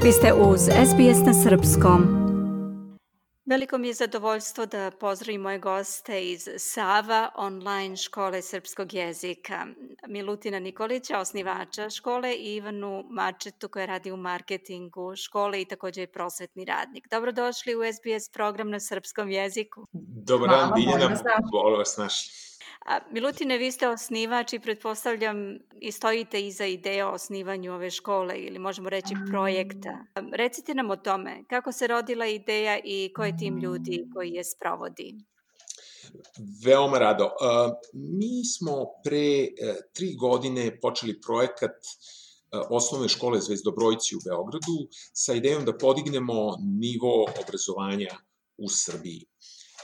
Vi ste uz SBS na srpskom. Veliko mi je zadovoljstvo da pozdravim moje goste iz Sava online škole srpskog jezika. Milutina Nikolića, osnivača škole, i Ivanu Mačetu koja radi u marketingu škole i također je prosvetni radnik. Dobrodošli u SBS program na srpskom jeziku. Dobar dan, Biljana, bolje vas našli. Milutine, vi ste osnivač i pretpostavljam i stojite iza ideje o osnivanju ove škole ili možemo reći projekta. Recite nam o tome, kako se rodila ideja i ko je tim ljudi koji je sprovodi? Veoma rado. Mi smo pre 3 godine počeli projekat osnovne škole Zvezdobrojci u Beogradu sa idejom da podignemo nivo obrazovanja u Srbiji.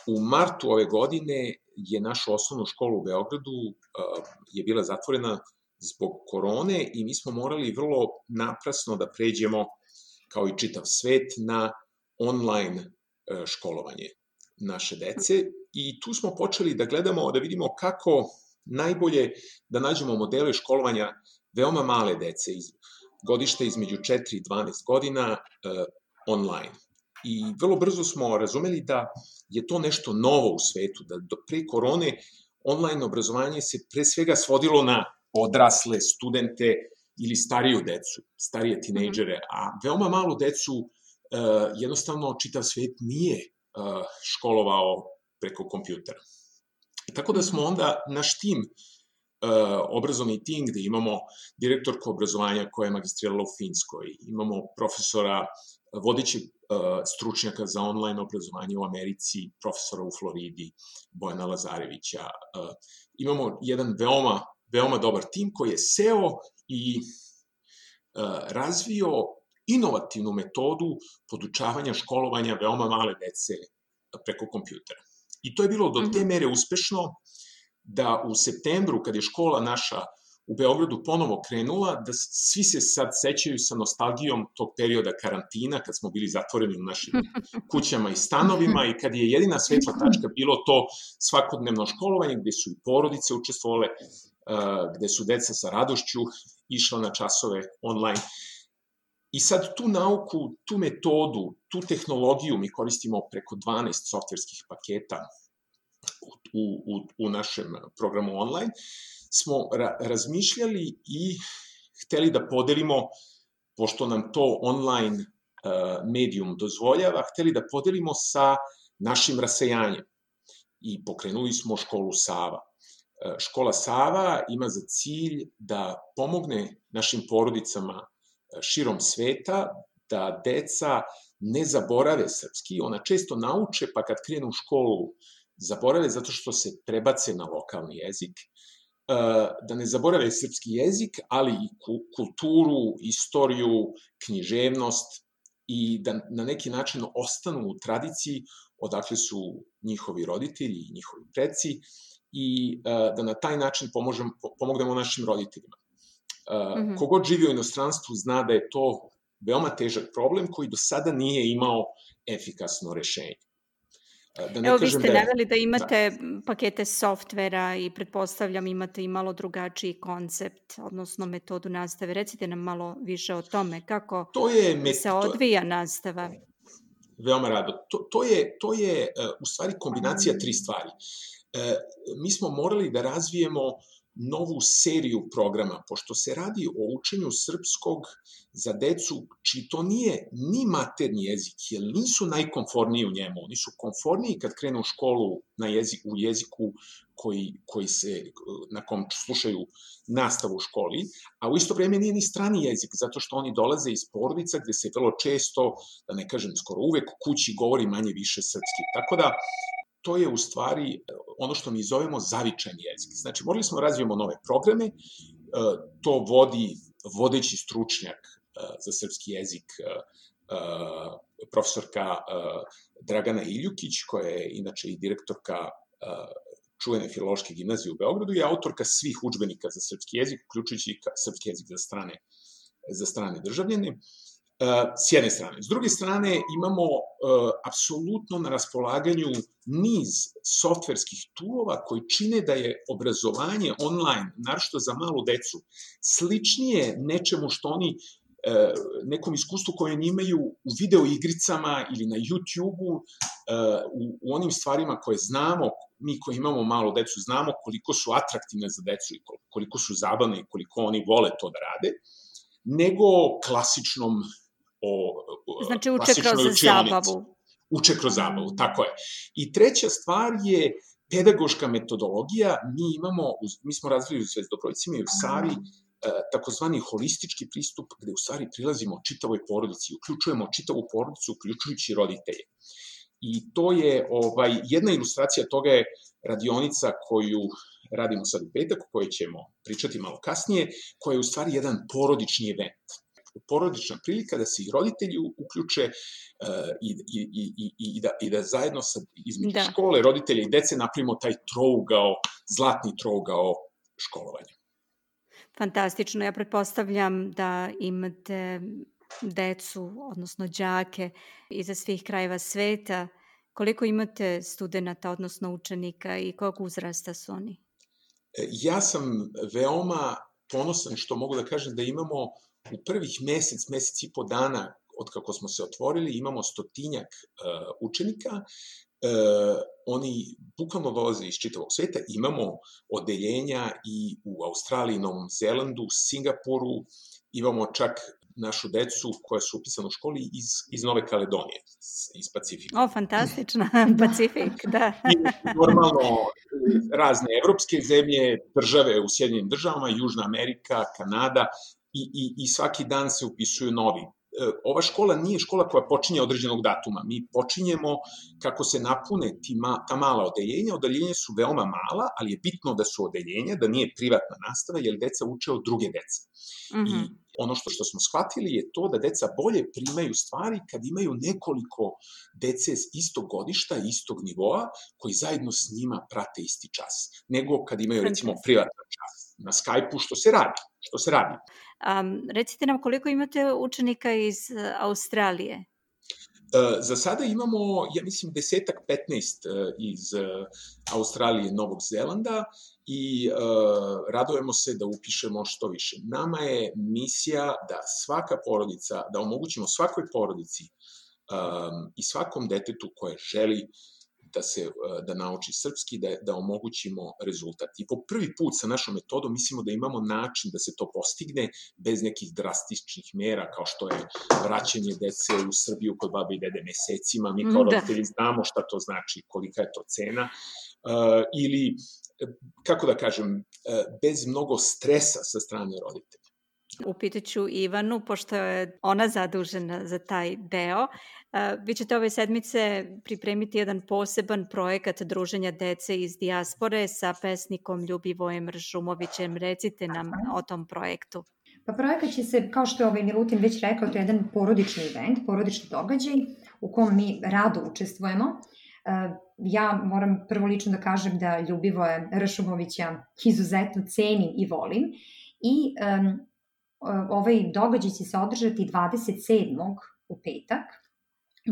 U martu ove godine je naša osnovna škola u Beogradu je bila zatvorena zbog korone i mi smo morali vrlo naprasno da pređemo, kao i čitav svet, na online školovanje naše dece. I tu smo počeli da gledamo, da vidimo kako najbolje da nađemo modele školovanja veoma male dece, godište između 4 i 12 godina online. I vrlo brzo smo razumeli da je to nešto novo u svetu, da pre korone online obrazovanje se pre svega svodilo na odrasle studente ili stariju decu, starije tinejdžere, a veoma malu decu jednostavno čitav svet nije školovao preko kompjutera. Tako da smo onda naš tim, obrazovni tim gde imamo direktorku obrazovanja koja je magistrirala u Finskoj, imamo profesora, vodećeg stručnjaka za online obrazovanje u Americi, profesora u Floridi, Bojana Lazarevića. Imamo jedan veoma dobar tim koji je seo i razvio inovativnu metodu podučavanja školovanja veoma male dece preko kompjutera. I to je bilo do te mere uspešno da u septembru, kad je škola naša u Beogradu ponovo krenula, da svi se sad sećaju sa nostalgijom tog perioda karantina, kad smo bili zatvoreni u našim kućama i stanovima i kad je jedina svetla tačka bilo to svakodnevno školovanje, gde su i porodice učestvovale, gde su deca sa radošću išla na časove online. I sad tu nauku, tu metodu, tu tehnologiju mi koristimo preko 12 softverskih paketa u našem programu online, smo razmišljali i hteli da podelimo, pošto nam to online medijum dozvoljava, hteli da podelimo sa našim rasejanjem. I pokrenuli smo školu Sava. Škola Sava ima za cilj da pomogne našim porodicama širom sveta, da deca ne zaborave srpski. Ona često nauče, pa kad krenu u školu zaborave zato što se prebace na lokalni jezik, da ne zaborave srpski jezik, ali i kulturu, istoriju, književnost i da na neki način ostanu u tradiciji odakle su njihovi roditelji i njihovi preci i da na taj način pomognemo našim roditeljima. Kogod živi u inostranstvu zna da je to veoma težak problem koji do sada nije imao efikasno rešenje. Evo, vi ste naveli da imate pakete softvera i pretpostavljam imate i malo drugačiji koncept, odnosno metodu nastave. Recite nam malo više o tome, kako se odvija nastava. Veoma rado. To je u stvari kombinacija 3 stvari. Mi smo morali da razvijemo novu seriju programa, pošto se radi o učenju srpskog za decu, čiji to nije ni maternji jezik, jer nisu najkonforniji u njemu. Oni su konforniji kad krenu u školu u jeziku na kom slušaju nastavu u školi, a u isto vreme nije ni strani jezik, zato što oni dolaze iz porodica gde se vrlo često, da ne kažem skoro uvek, kući govori manje više srpski. Tako da, to je u stvari ono što mi zovemo zavičan jezik. Znači, morali smo da razvijemo nove programe, to vodi vodeći stručnjak za srpski jezik, profesorka Dragana Iljukić, koja je inače i direktorka čuvene filološke gimnazije u Beogradu i autorka svih udžbenika za srpski jezik, uključujući i srpski jezik za strane državljane. S jedne strane. S druge strane, imamo apsolutno na raspolaganju niz softverskih toolova koji čine da je obrazovanje online, naročito za malu decu, sličnije nečemu što oni nekom iskustvu koje oni imaju u video igricama ili na YouTube-u, u onim stvarima koje znamo, mi koji imamo malo decu, znamo koliko su atraktivne za decu i koliko su zabavne i koliko oni vole to da rade, nego klasičnom znači uče kroz zabavu. Uče kroz zabavu, tako je. I treća stvar je pedagoška metodologija. Mi smo razvili u Zvezdi Dobrojcima i u Savi takozvani holistički pristup, gde u stvari prilazimo čitavoj porodici, uključujemo čitavu porodicu, uključujući roditelje. I to je, jedna ilustracija toga je radionica koju radimo sad u petak, o kojoj ćemo pričati malo kasnije, koja je u stvari jedan porodični event. Porodična prilika da se i roditelji uključe i da zajedno između škole, roditelja i dece napravimo taj zlatni trougao školovanja. Fantastično. Ja pretpostavljam da imate decu, odnosno đake iza svih krajeva sveta. Koliko imate studenta, odnosno učenika i kog uzrasta su oni? Ja sam veoma ponosan što mogu da kažem da imamo u prvih mesec i po dana od kako smo se otvorili, imamo 100-tinjak učenika. Oni bukvalno dolaze iz čitavog sveta. Imamo odeljenja i u Australiji, Novom Zelandu, Singapuru. Imamo čak našu decu koja su upisana u školi iz Nove Kaledonije, iz Pacifika. Fantastično, Pacifik, da. I normalno razne evropske zemlje, države u Sjedinjenim državama, Južna Amerika, Kanada i svaki dan se upisuju novi. Ova škola nije škola koja počinje određenog datuma. Mi počinjemo kako se napune ta mala odeljenja. Odeljenja su veoma mala, ali je bitno da su odeljenja, da nije privatna nastava, jer deca uče od druge dece. I ono što smo shvatili je to da deca bolje primaju stvari kad imaju nekoliko dece istog godišta, istog nivoa, koji zajedno s njima prate isti čas, nego kad imaju, recimo, privatan čas na Skype-u, što se radi. Recite nam koliko imate učenika iz Australije? Za sada imamo, ja mislim, 10-15 iz Australije i Novog Zelanda i radujemo se da upišemo što više. Nama je misija da svaka porodica, da omogućimo svakoj porodici i svakom detetu koje želi da nauči srpski, da omogućimo rezultat. I po prvi put sa našom metodom mislimo da imamo način da se to postigne bez nekih drastičnih mera, kao što je vraćanje dece u Srbiju kod babe i dede mesecima. Mi kao roditelji znamo šta to znači, kolika je to cena. Ili, kako da kažem, bez mnogo stresa sa strane roditelja. Upitaću Ivanu, pošto je ona zadužena za taj deo. Vi ćete ove sedmice pripremiti jedan poseban projekat druženja dece iz dijaspore sa pesnikom Ljubivojem Ršumovićem. Recite nam o tom projektu. Pa projekat će se, kao što je Milutin već rekao, to je jedan porodični event, porodični događaj u kom mi rado učestvujemo. Ja moram prvo lično da kažem da Ljubivoja Ršumovića izuzetno cenim i volim i ovaj događaj će se održati 27. u petak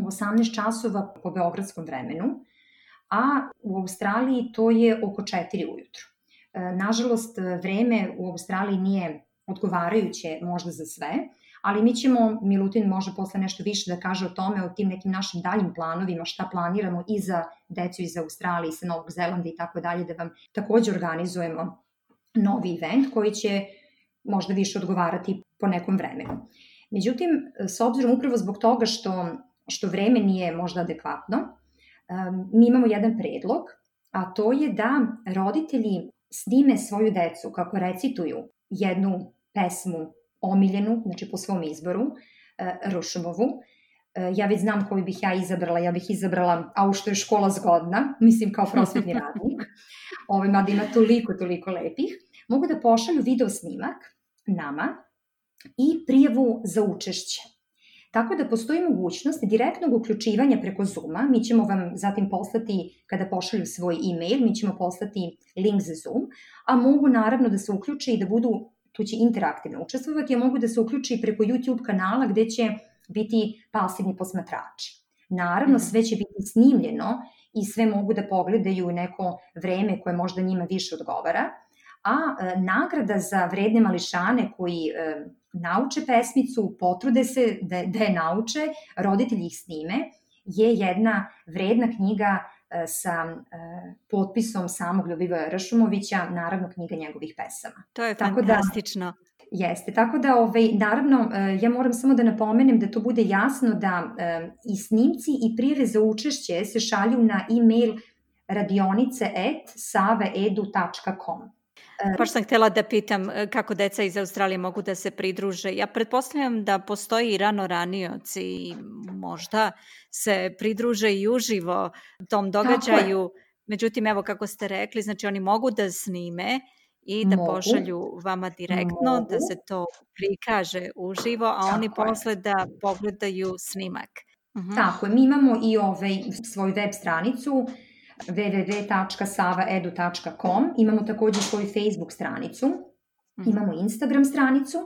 u 18 časova po beogradskom vremenu, a u Australiji to je oko 4 ujutru. Nažalost, vreme u Australiji nije odgovarajuće možda za sve, ali mi ćemo, Milutin može posle nešto više da kaže o tome, o tim nekim našim daljim planovima, šta planiramo i za decu iz Australije, sa Novog Zelanda i tako dalje, da vam takođe organizujemo novi event koji će možda više odgovarati po nekom vremenu. Međutim, s obzirom upravo zbog toga što vreme nije možda adekvatno, mi imamo jedan predlog, a to je da roditelji snime svoju decu kako recituju jednu pesmu omiljenu, znači po svom izboru, Ršumovu. Ja već znam koju bih ja izabrala. Ja bih izabrala A u što je škola zgodna, mislim kao prosvetni radnik. Mada ima toliko lepih. Mogu da pošalju video snimak nama i prijavu za učešće. Tako da postoji mogućnost direktnog uključivanja preko Zooma. Mi ćemo vam zatim poslati, kada pošalju svoj e-mail, mi ćemo poslati link za Zoom, a mogu naravno da se uključe i da budu, tu će interaktivno učestvovati, a mogu da se uključe i preko YouTube kanala gde će biti pasivni posmatrači. Naravno, sve će biti snimljeno i sve mogu da pogledaju neko vreme koje možda njima više odgovara, a nagrada za vredne mališane koji nauče pesmicu, potrude se da je nauče, roditelji ih snime, je jedna vredna knjiga sa potpisom samog Ljubivoja Ršumovića, naravno knjiga njegovih pesama. To je fantastično. Jeste, tako da naravno ja moram samo da napomenem da to bude jasno da i snimci i prijave za učešće se šalju na e-mail radionice@savaedu.com. Baš sam htjela da pitam kako deca iz Australije mogu da se pridruže. Ja pretpostavljam da postoji i ranioci i možda se pridruže i uživo tom događaju. Međutim, evo kako ste rekli, znači oni mogu da snime i da pošalju vama direktno, da se to prikaže uživo, a oni posle da pogledaju snimak. Tako je, mi imamo i svoju web stranicu www.savaedu.com, imamo također svoju Facebook stranicu, imamo Instagram stranicu.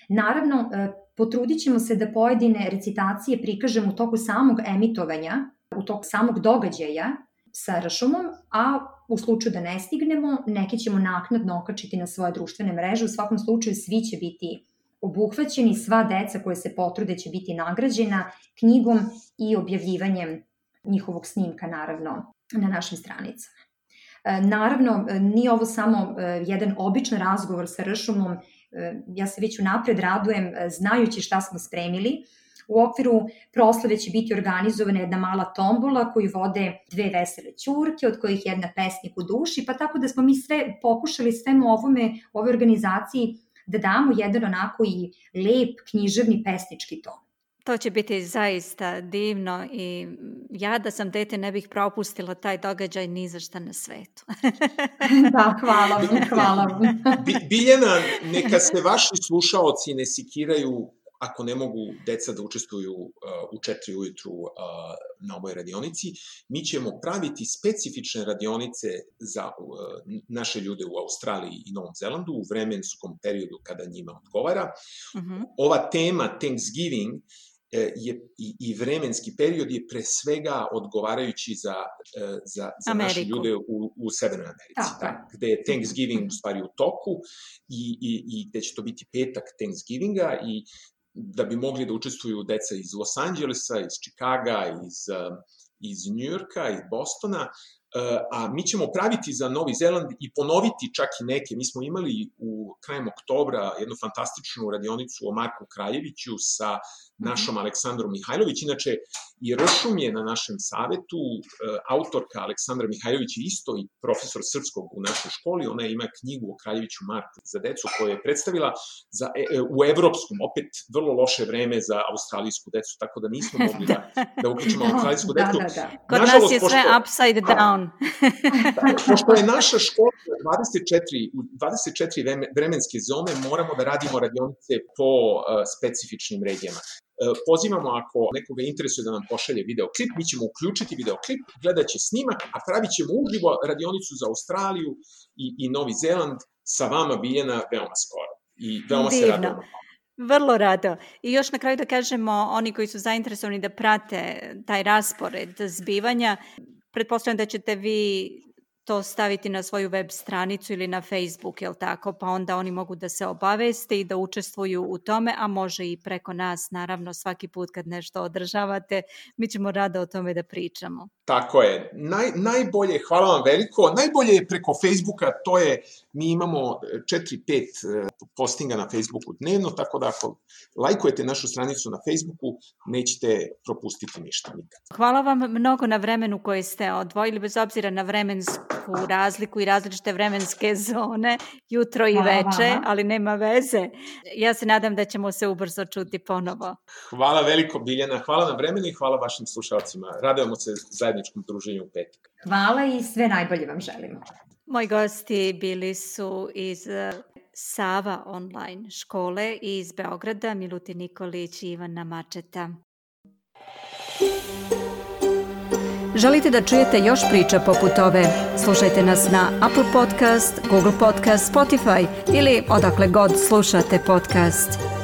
Naravno, potrudit ćemo se da pojedine recitacije prikažemo u toku samog emitovanja, u toku samog događaja sa Ršumom, a u slučaju da ne stignemo, neke ćemo naknadno okačiti na svoje društvene mreže. U svakom slučaju svi će biti obuhvaćeni, sva deca koje se potrude će biti nagrađena knjigom i objavljivanjem njihovog snimka, naravno, na našim stranicama. Naravno, nije ovo samo jedan običan razgovor sa Ršumom, ja se već unapred radujem znajući šta smo spremili. U okviru proslave će biti organizovana jedna mala tombola koju vode 2 vesele ćurke, od kojih jedna pesnik u duši, pa tako da smo mi sve pokušali svemu ovoj organizaciji da damo jedan onako i lep književni pesnički ton. To će biti zaista divno i ja da sam dete ne bih propustila taj događaj ni za šta na svetu. Da, hvala vam. Biljana, neka se vaši slušaoci ne sikiraju ako ne mogu deca da učestvuju u 4 ujutru na ovoj radionici. Mi ćemo praviti specifične radionice za naše ljude u Australiji i Novom Zelandu u vremenskom periodu kada njima odgovara. Ova tema Thanksgiving i vremenski period je pre svega odgovarajući za naše ljude u Severnoj Americi, gde je Thanksgiving u stvari u toku i gde će to biti petak Thanksgivinga i da bi mogli da učestvuju deca iz Los Angelesa, iz Čikaga, iz Njujorka, iz Bostona, a mi ćemo praviti za Novi Zeland i ponoviti čak i neke. Mi smo imali krajem oktobra jednu fantastičnu radionicu o Marku Kraljeviću sa našom Aleksandrom Mihajlović. Inače, i Ršum je na našem savetu, autorka Aleksandra Mihajlović je isto i profesor srpskog u našoj školi. Ona ima knjigu o Kraljeviću Marku za decu koju je predstavila u evropskom, opet vrlo loše vreme za australijsku decu, tako da nismo mogli da uključimo australijsku decu. Kod nas je sve upside down. Pošto je naša škola 24 vremenske zone, moramo da radimo radionice po specifičnim regijama. Pozivamo ako nekoga interesuje da nam pošalje videoklip, mi ćemo uključiti videoklip, gledat će snimak, a pravit ćemo uživo radionicu za Australiju i Novi Zeland sa vama, Biljana, veoma skoro. I veoma se radimo. Vrlo rado. I još na kraju da kažemo, oni koji su zainteresovani da prate taj raspored zbivanja, pretpostavljam da ćete vi to staviti na svoju web stranicu ili na Facebook, jel tako? Pa onda oni mogu da se obaveste i da učestvuju u tome, a može i preko nas, naravno, svaki put kad nešto održavate, mi ćemo rado o tome da pričamo. Tako je. Najbolje, hvala vam veliko, najbolje je preko Facebooka, to je, mi imamo 4-5 postinga na Facebooku dnevno, tako da ako lajkujete našu stranicu na Facebooku, nećete propustiti ništa nikad. Hvala vam mnogo na vremenu koje ste odvojili, bez obzira na vremensku razliku i različite vremenske zone, jutro i veče, ali nema veze. Ja se nadam da ćemo se ubrzo čuti ponovo. Hvala veliko, Biljana, hvala na vremenu i hvala vašim slušalcima. Radujemo se zajedničkom druženju u petak. Hvala i sve najbolje vam želimo. Moji gosti bili su iz Sava online škole i iz Beograda, Milutin Nikolić i Ivana Mačeta. Želite da čujete još priča poput ove? Slušajte nas na Apple Podcast, Google Podcast, Spotify ili odakle god slušate podcast.